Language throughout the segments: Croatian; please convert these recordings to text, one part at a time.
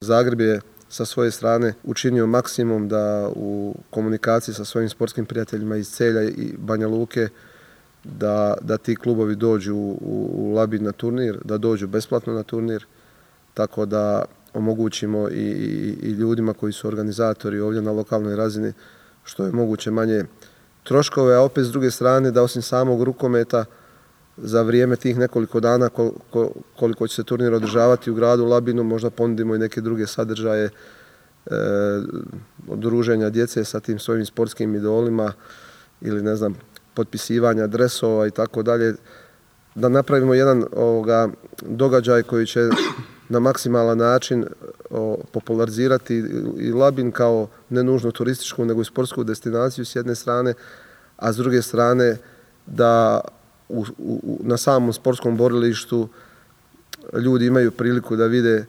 Zagreb je sa svoje strane učinio maksimum da u komunikaciji sa svojim sportskim prijateljima iz Celja i Banja Luke da ti klubovi dođu u Labin na turnir, da dođu besplatno na turnir, tako da omogućimo i ljudima koji su organizatori ovdje na lokalnoj razini što je moguće manje troškove, a opet s druge strane da osim samog rukometa za vrijeme tih nekoliko dana koliko će se turnir održavati u gradu Labinu možda ponudimo i neke druge sadržaje druženja djece sa tim svojim sportskim idolima ili ne znam potpisivanja dresova i tako dalje, da napravimo jedan događaj koji će na maksimalan način popularizirati i Labin kao ne nužno turističku nego i sportsku destinaciju s jedne strane, a s druge strane da na samom sportskom borilištu ljudi imaju priliku da vide,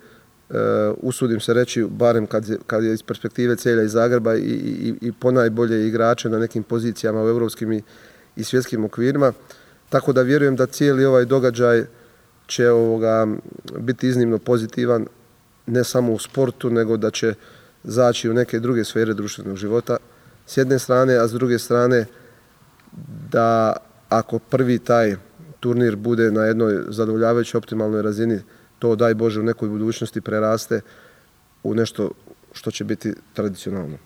usudim se reći, barem kad je iz perspektive Celja i Zagreba i ponajbolje igrače na nekim pozicijama u europskim i svjetskim okvirima. Tako da vjerujem da cijeli ovaj događaj će biti iznimno pozitivan, ne samo u sportu, nego da će zaći u neke druge sfere društvenog života s jedne strane, a s druge strane da ako prvi taj turnir bude na jednoj zadovoljavajućoj optimalnoj razini, to daj Bože u nekoj budućnosti preraste u nešto što će biti tradicionalno.